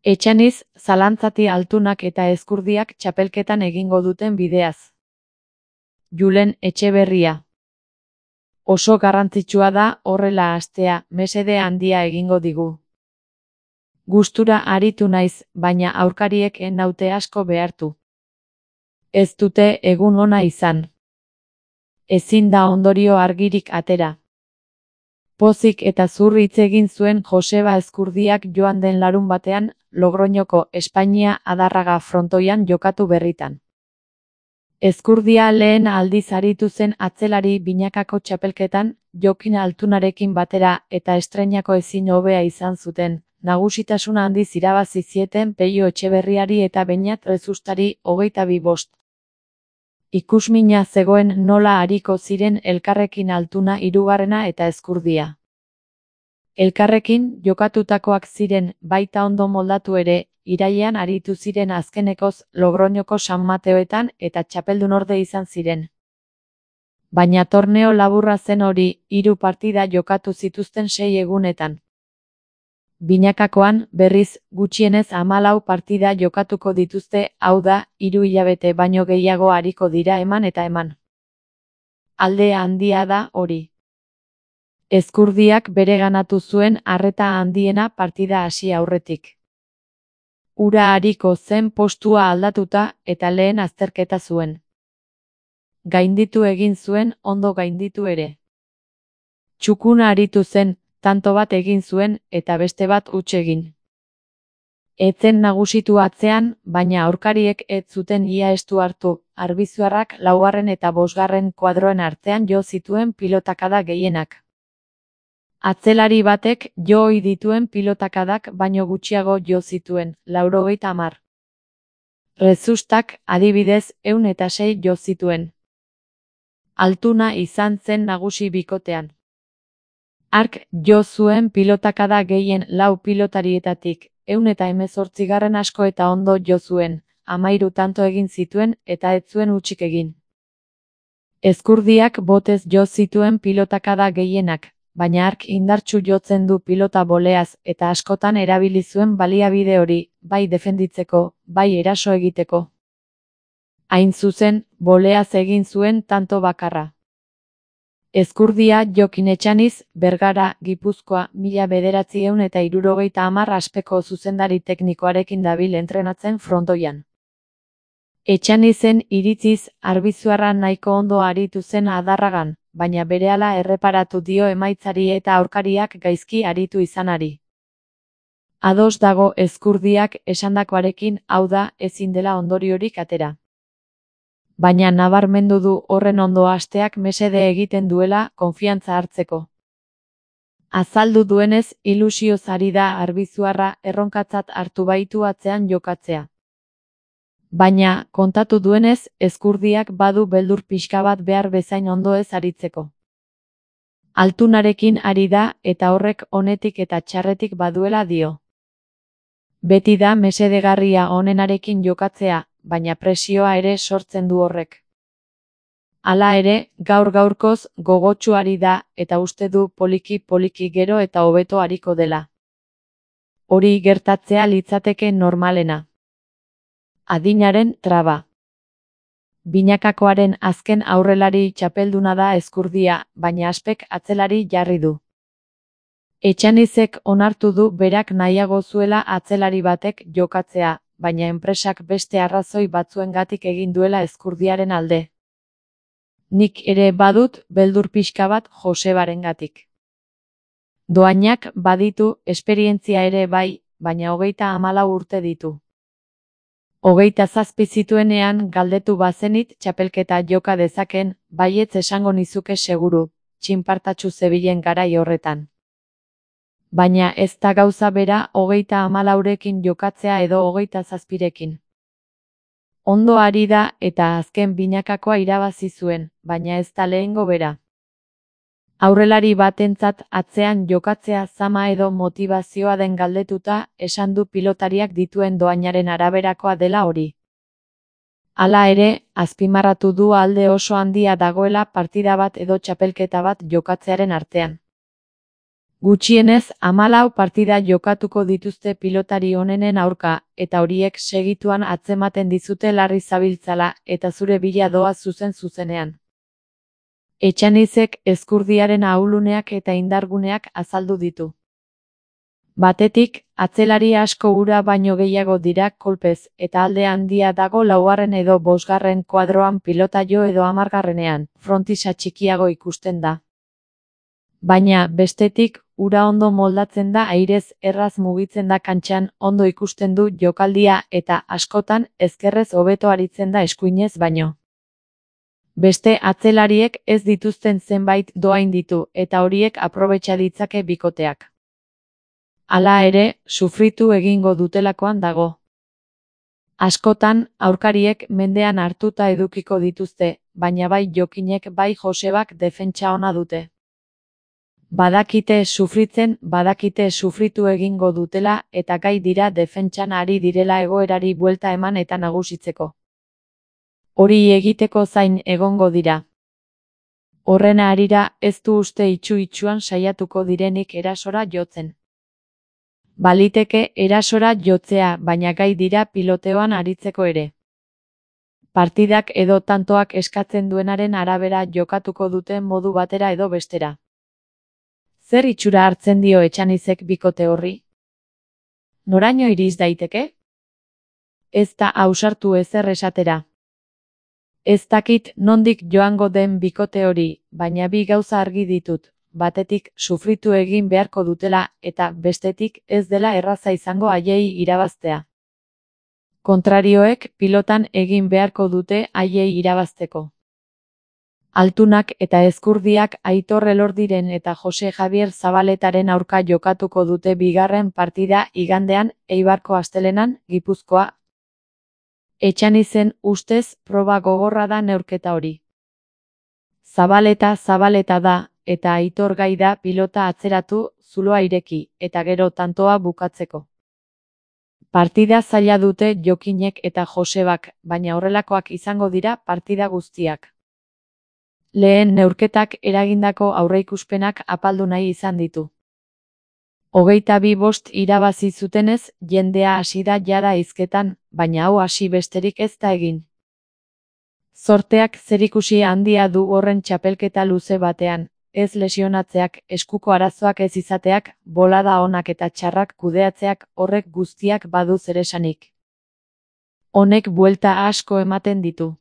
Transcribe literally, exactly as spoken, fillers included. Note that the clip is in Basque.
Etxaniz, Zalantzati Altunak eta Ezkurdiak txapelketan egingo duten bideaz. Julen Etxeberria. Oso garrantzitsua da horrela hastea, mesede handia egingo digu. Gustura aritu naiz, baina aurkariek ez naute asko behartu. Ez dute egun ona izan. Ezin da ondorio argirik atera. Pozik eta zur hitz egin zuen Joseba Ezkurdiak joan den larunbatean, Logroñoko Espainia Adarraga frontoian jokatu berritan. Ezkurdia lehen aldiz aritu zen atzelari binakako txapelketan, Jokin Altunarekin batera eta estreinako ezin hobea izan zuten, nagusitasuna handiz irabazi zieten Peio Etxeberriari eta Beñat Rezustari hogeita bi bost. Ikusmina zegoen nola ariko ziren elkarrekin Altuna hirugarrena eta Ezkurdia. Elkarrekin jokatutakoak ziren, baita ondo moldatu ere, irailean aritu ziren azkenekoz Logroñoko San Mateoetan eta txapeldunorde izan ziren. Baina torneo laburra zen hori, hiru partida jokatu zituzten sei egunetan. Binakakoan, berriz, gutxienez hamalau partida jokatuko dituzte, hau da, hiru hilabete baino gehiago ariko dira eman eta eman. Alde handia da hori. Ezkurdiak bereganatu zuen arreta handiena partida hasi aurretik. Ura ariko zen postua aldatuta eta lehen azterketa zuen. Gainditu egin zuen, ondo gainditu ere. Txukuna aritu zen, tanto bat egin zuen eta beste bat huts egin. Etzen nagusitu atzean, baina aurkariek ez zuten ia estu hartu, arbizuarrak laugarren eta bosgarren kuadroen artean jo zituen pilotakada gehienak. Atzelari batek jo ohi dituen pilotakadak baino gutxiago jo zituen, laurogeita hamar. Rezustak, adibidez, ehun eta sei jo zituen. Altuna izan zen nagusi bikotean. Hark jo zuen pilotakada gehien lau pilotarietatik, ehun eta hemezortzigarren asko eta ondo jo zuen, hamahiru tanto egin zituen eta ez zuen hutsik egin. Ezkurdiak botez jo zituen pilotakada gehienak, baina hark indartsu jotzen du pilota boleaz eta askotan erabili zuen baliabide hori, bai defenditzeko, bai eraso egiteko. Hain zuzen, boleaz egin zuen tanto bakarra. Ezkurdia Jokin Etxaniz, Bergara, Gipuzkoa, mila bederatziehun eta hirurogeita hamar aspeko zuzendari teknikoarekin dabil entrenatzen frontoian. Etxanizen iritziz, arbizuarra nahiko ondo aritu zen Adarragan, baina berehala erreparatu dio emaitzari eta aurkariak gaizki aritu izanari. Ados dago Ezkurdiak esandakoarekin, hau da, ezin dela ondoriorik atera. Baina nabarmendu du horren ondo hasteak mesede egiten duela konfiantza hartzeko. Azaldu duenez, ilusioz ari da arbizuarra erronkatzat hartu baitu atzean jokatzea. Baina, kontatu duenez, Ezkurdiak badu beldur pixka bat behar bezain ondo ez aritzeko. Altunarekin ari da eta horrek onetik eta txarretik baduela dio. Beti da mesedegarria onenarekin jokatzea, baina presioa ere sortzen du horrek. Hala ere, gaur gaurkoz gogotsu ari da eta uste du poliki poliki gero eta hobeto ariko dela. Hori gertatzea litzateke normalena. Adinaren traba. Binakakoaren azken aurrelari txapelduna da Ezkurdia, baina aspek atzelari jarri du. Etxanizek onartu du berak nahiago zuela atzelari batek jokatzea, baina enpresak beste arrazoi batzuengatik egin duela Ezkurdiaren alde. Nik ere badut beldur pixka bat Josebarengatik. Doainak baditu, esperientzia ere bai, baina hogeita hamalau urte ditu. Hogeita zazpi zituenean galdetu bazenit txapelketa joka dezaken, baietz esango nizuke seguru, txinpartatsu zebilen garai horretan. Baina ez da gauza bera hogeita hamalaurekin jokatzea edo hogeita zazpirekin. Ondo ari da eta azken binakakoa irabazi zuen, baina ez da lehengo bera. Aurrelari batentzat atzean jokatzea zama edo motivazioa den galdetuta, esan du pilotariak dituen doainaren araberakoa dela hori. Hala ere, azpimarratu du alde oso handia dagoela partida bat edo txapelketa bat jokatzearen artean. Gutxienez hamalau partida jokatuko dituzte pilotari onenen aurka, eta horiek segituan atzematen dizute larri zabiltzala eta zure bila doa zuzen-zuzenean. Etxanizek Ezkurdiaren ahuluneak eta indarguneak azaldu ditu. Batetik, atzelari asko ura baino gehiago dira kolpez, eta alde handia dago laugarren edo bosgarren kuadroan pilota jo edo hamargarrenean, frontisa txikiago ikusten da. Baina, bestetik, ura ondo moldatzen da airez erraz mugitzen da kantxan, ondo ikusten du jokaldia eta askotan ezkerrez hobeto aritzen da eskuinez baino. Beste atzelariek ez dituzten zenbait doain ditu eta horiek aprobetxa ditzake bikoteak. Hala ere, sufritu egingo dutelakoan dago. Askotan, aurkariek mendean hartuta edukiko dituzte, baina bai Jokinek bai Josebak defentsa ona dute. Badakite sufritzen, badakite sufritu egingo dutela eta gai dira defentsan ari direla egoerari buelta eman eta nagusitzeko. Hori egiteko zain egongo dira. Horren harira ez du uste itxu-itxuan saiatuko direnik erasora jotzen. Baliteke erasora jotzea, baina gai dira piloteoan aritzeko ere. Partidak edo tantoak eskatzen duenaren arabera jokatuko duten modu batera edo bestera. Zer itxura hartzen dio Etxanizek bikote horri? Noraino iriz daiteke? Ez da ausartu ezer esatera. Ez dakit nondik joango den bikote hori, baina bi gauza argi ditut, batetik sufritu egin beharko dutela eta bestetik ez dela erraza izango haiei irabaztea. Kontrarioek pilotan egin beharko dute haiei irabazteko. Altunak eta Ezkurdiak Aitor Elordiren eta Jose Javier Zabaletaren aurka jokatuko dute bigarren partida igandean Eibarko astelenan, Gipuzkoa. Etxanizen ustez proba gogorra da neurketa hori. Zabaleta Zabaleta da, eta Aitor gai da pilota atzeratu, zuloa ireki, eta gero tantoa bukatzeko. Partida zaila dute Jokinek eta Josebak, baina horrelakoak izango dira partida guztiak. Lehen neurketak eragindako aurreikuspenak apaldu nahi izan ditu. Hogeita bi bost irabazi zutenez, jendea hasi da jada hizketan, baina hau hasi besterik ez da egin. Zorteak zerikusi handia du horren txapelketa luze batean, ez lesionatzeak, eskuko arazoak ez izateak, bolada onak eta txarrak kudeatzeak horrek guztiak badu zeresanik. Honek buelta asko ematen ditu.